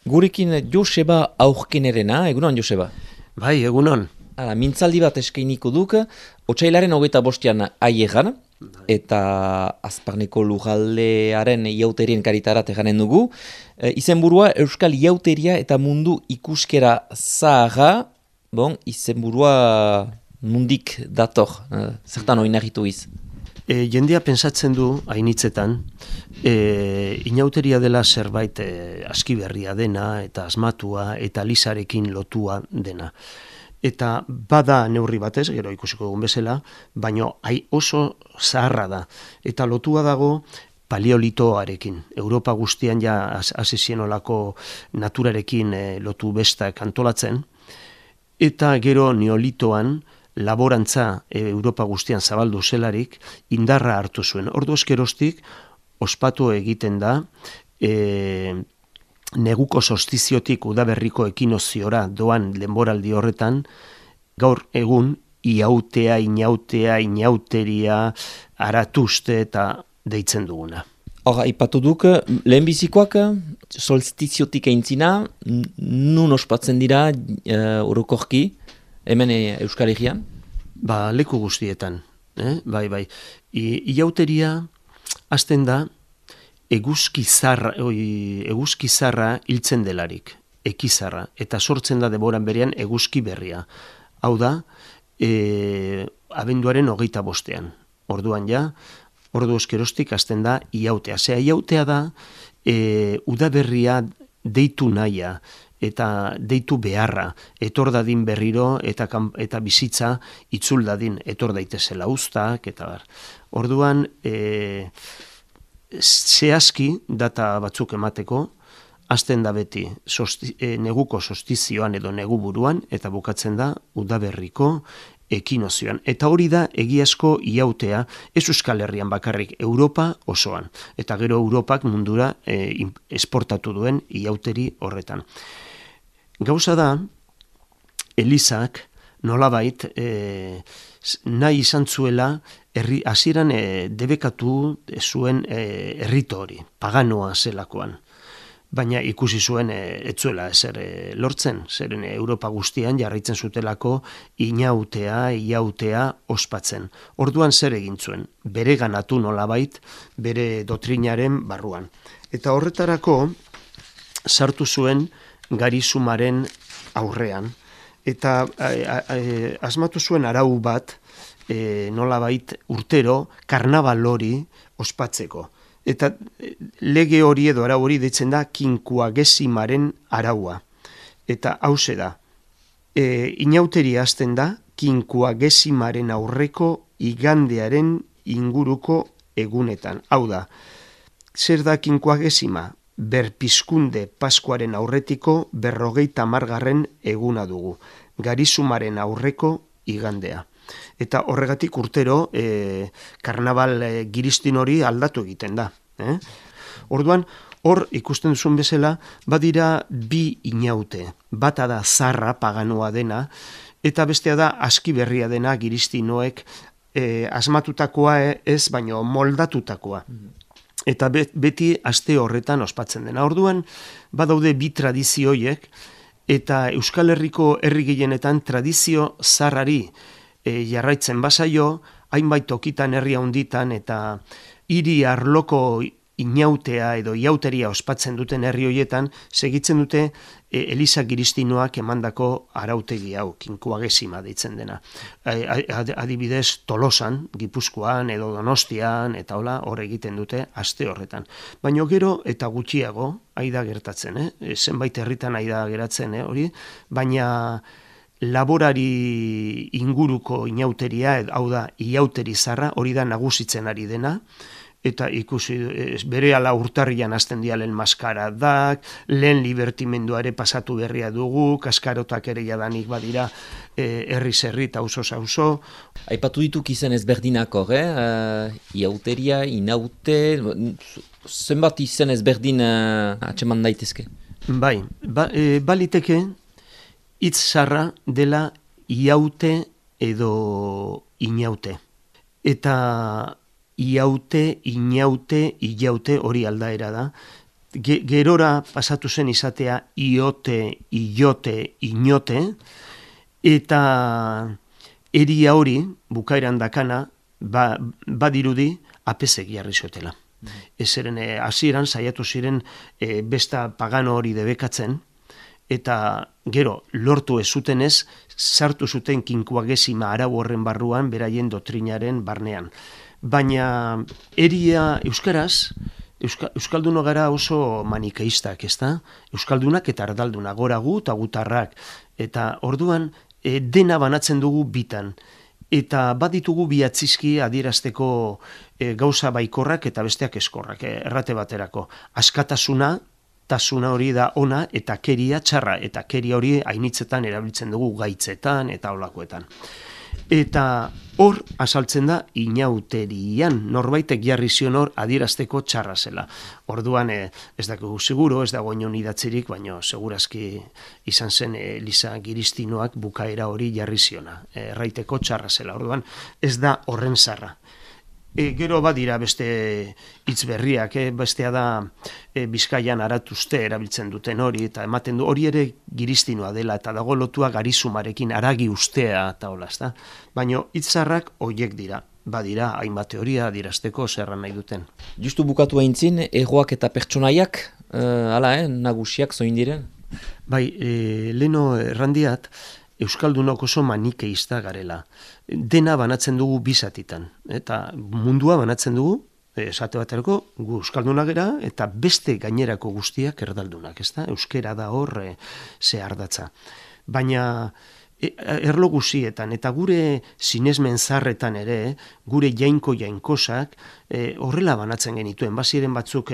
Gurekin Joseba Aurkenerena, egunon Joseba. Bai, egunon. Hala, mintzaldi bat eskainiko duk, otsailaren 25an aiegan, eta Azparneko lujaldearen iauterien karitarat eganen dugu. Izenburua Euskal Iauteria eta Mundu Ikuskera Zaharra, izenburua nundik dator, zertan oinarritu iz. Jendea pensatzen du, hainitzetan, inauteria dela zerbait aski berria dena, eta asmatua, eta lisarekin lotua dena. Eta bada neurri batez, gero ikusiko dugun bezala, baina oso zaharra da. Eta lotua dago paleolitoarekin. Europa guztian ja hasi zienolako naturarekin lotu bestak antolatzen. Eta gero neolitoan, laborantza Europa guztian zabaldu zelarik, indarra hartu zuen. Ordu eskerostik, ospatu egiten da, neguko solstiziotik udaberriko ekinoziora doan denboraldi horretan, gaur egun iautea, inauteria, aratuzte eta deitzen duguna. Hor, aipatu duk, lehenbizikoak solstiziotik eintzina, nun ospatzen dira orokorki, hemen Euskal Herrian? Leku guztietan, bai. Iauteria hasten da eguzki zarra hiltzen delarik, ekizarra, eta sortzen da denboran berean eguzki berria. Hau da, abenduaren 25ean. Orduan ja, ordu eskerostik hasten da iautea. Iautea da, udaberria deitu nahia, eta deitu beharra, etor dadin berriro eta bizitza itzul dadin, etor daitezela uztak, eta bar. Orduan, zehazki data batzuk emateko, hasten da beti neguko solstizioan edo neguburuan, eta bukatzen da udaberriko ekinozioan. Eta hori da egiazko iautea, ez Euskal Herrian bakarrik, Europa osoan. Eta gero Europak mundura esportatu duen iauteri horretan. Gauza da, Elizak nolabait nahi izan zuela hasieran debekatu zuen errito hori, paganoa zelakoan. Baina ikusi zuen etzuela ezer lortzen, zeren Europa guztian jarraitzen zutelako iautea ospatzen. Orduan zer egin zuen, bere ganatu nolabait, bere doktrinaren barruan. Eta horretarako sartu zuen Garizumaren aurrean, eta asmatu zuen arau bat nolabait urtero karnabal hori ospatzeko. Eta lege hori edo arau hori deitzen da Kinkuagesimaren araua. Eta hauxe da, inauteria hasten da Kinkuagesimaren aurreko igandearen inguruko egunetan. Hau da, zer da Kinkuagesima? Berpizkunde Paskuaren aurretiko 50. eguna dugu. Garizumaren aurreko igandea. Eta horregatik urtero karnabal giristin hori aldatu egiten da. Orduan, hor ikusten duzun bezala, badira bi inaute. Bata da zarra paganoa dena, eta bestea da aski berria dena giristinoek asmatutakoa ez, baino moldatutakoa. Eta beti aste horretan ospatzen dena. Orduan, badaude bi tradizioiek, eta Euskal Herriko herri gehienetan tradizio zarrari jarraitzen bazaio, hainbait tokitan herri handitan eta hiri arloko inautea edo iauteria ospatzen duten herri horietan, segitzen dute Eliza Giristinoak emandako arautegi hau, Kinkuagesima deitzen dena. Adibidez, Tolosan, Gipuzkoan edo Donostian, eta hola, hor egiten dute aste horretan. Baina gero eta gutxiago, aida gertatzen, zenbait herritan aida geratzen, hori, baina laborari inguruko inauteria, hau da, iauteri zarra, hori da nagusitzen ari dena, eta ikusi berehala urtarrian hasten dira lehen maskaradak, lehen libertimenduare pasatu berria dugu, kaskarotak ere jadanik badira herriz herri eta auzo. Aipatu dituk izen ezberdinak hor, iauteria, inaute, zenbat izen ezberdin atseman daitezke? Bai, baliteke hitz zarra dela iaute edo inaute. Eta iaute, inaute, ilaute hori aldaera da, gerora pasatu zen izatea iote, ilote, inote, eta eria hori, bukaeran dakana, badirudi apezek jarri zutela. Ezeren hasieran saiatu ziren besta pagano hori debekatzen, eta gero lortu ez zutenez, sartu zuten kinkuagesima arau horren barruan, beraien doktrinaren barnean. Baina eria euskaraz, Euskalduno gara oso manikeistak, ezta? Euskaldunak eta ardalduna, gora gu eta gutarrak. Eta orduan dena banatzen dugu bitan. Eta baditugu bi atzizki adierazteko gauza baikorrak eta besteak eskorrak, errate baterako. Askatasuna, tasuna hori da ona, eta keria txarra, eta keria hori hainitzetan erabiltzen dugu gaitzetan eta olakoetan. Eta hor azaltzen da inauterian, norbaitek jarri zion hor adierazteko txarra zela. Orduan ez dakigu seguro, ez dago inon idatzirik, baina segurazki izan zen Eliza Giristinoak bukaera hori jarri ziona, erraiteko txarra zela. Orduan ez da horren zarra. Gero badira beste hitz berriak, bestea da Bizkaian aratuzte erabiltzen duten hori, eta ematen du hori ere giristinoa dela, eta dago lotua garizumarekin aragi ustea eta hola, ezta? Baina hitzarrak horiek dira, badira hainbat teoria adierazteko zerran nahi duten. Justu bukatu aintzin, erroak eta pertsonaiak, nagusiak zoin diren? Bai, leno errandiat, Euskaldunok oso manikeista garela. Dena banatzen dugu bizatitan. Eta mundua banatzen dugu, esate baterako, gu Euskalduna gera, eta beste gainerako guztiak erdaldunak, ezta? Euskera da hor zehardatza. Baina erlo guzietan, eta gure sinesmen zarretan ere, gure jainkosak, horrela banatzen genituen, baziren batzuk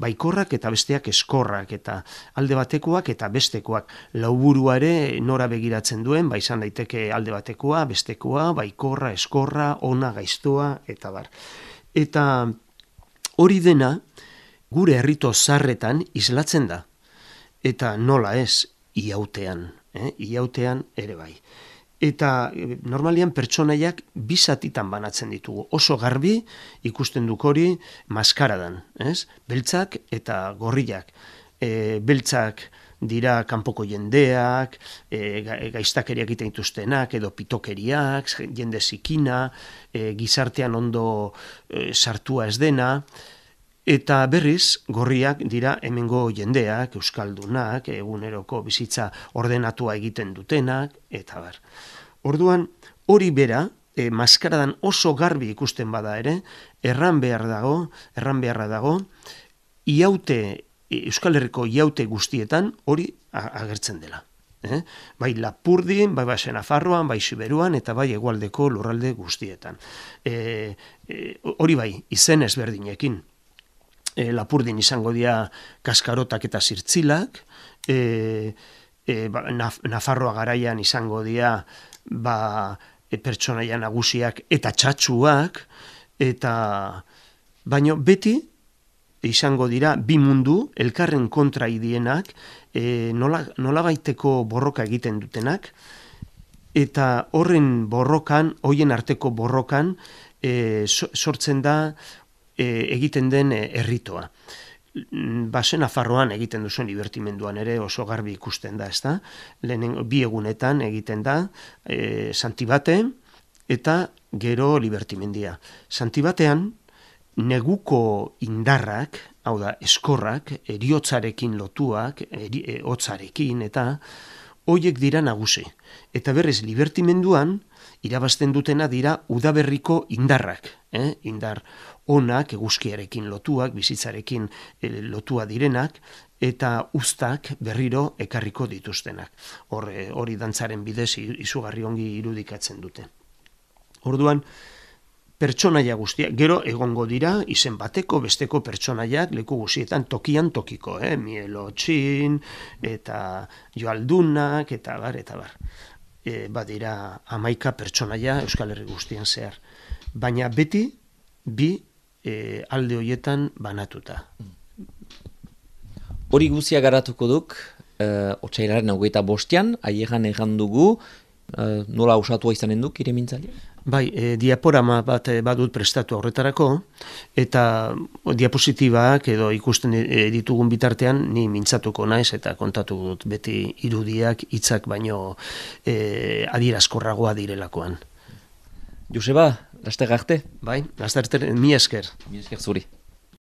baikorrak eta besteak eskorrak, eta alde batekoak eta bestekoak. Lauburua ere nora begiratzen duen, izan daiteke alde batekoa, bestekoa, baikorra, eskorra, ona, gaiztoa, eta bar. Eta hori dena, gure herrito zarretan islatzen da. Eta nola ez, iautean. Iautean ere bai. Eta normalian pertsonaiak bizatitan banatzen ditugu. Oso garbi ikusten duk hori maskaradan, ez? Beltzak eta gorriak. Beltzak dira kanpoko jendeak, gaiztakeriak egiten dituztenak, edo pitokeriak, jende zikina, gizartean ondo sartua ez dena. Eta berriz, gorriak dira hemengo jendeak, euskaldunak, eguneroko bizitza ordenatua egiten dutenak, eta bar. Orduan, hori bera, maskaradan oso garbi ikusten bada ere, erran beharra dago, iaute, Euskal Herriko iaute guztietan hori agertzen dela. Bai Lapurdin, bai Nafarroan, bai Siberuan, eta bai hegoaldeko lurralde guztietan. Hori bai, izen ezberdinekin. Lapurdin izango dira kaskarotak eta zirtzilak, Nafarroa garaian izango dira pertsonaia nagusiak eta txatxuak, baina beti izango dira bi mundu elkarren kontra idienak, nolabaiteko borroka egiten dutenak, eta horren borrokan, hoien arteko borrokan, sortzen da egiten den erritoa. Nafarroan egiten duzuen libertimenduan ere oso garbi ikusten da, ezta? Lehen bi egunetan egiten da Santibate eta gero libertimendia. Santibatean neguko indarrak, hau da, eskorrak, eriotzarekin lotuak, hotzarekin eta hoiek dira nagusi. Eta berriz libertimenduan irabazten dutena dira udaberriko indarrak, indar onak, eguzkiarekin lotuak, bizitzarekin lotua direnak, eta uztak berriro ekarriko dituztenak. Hori dantzaren bidez izugarri ongi irudikatzen dute. Orduan, pertsonaia guztiak, gero egongo dira, izen bateko, besteko pertsonaiak leku guztietan tokian tokiko, Mielotxin, eta Joaldunak, eta bar. Badira 11 pertsonaia Euskal Herri guztian zehar. Baina beti, bi alde horietan banatuta. Hori guzia garatuko duk, otsailaren 25an, aiegan egan dugu, nola osatua izanen duk iremintzaile? Bai, diaporama bat badut prestatu horretarako, eta diapositibak edo ikusten ditugun bitartean ni mintzatuko naiz eta kontatu dut beti irudiak hitzak baino adierazkorragoa direlakoan. Joseba, laster arte. Bai, laster arte, mi esker. Mi esker zuri.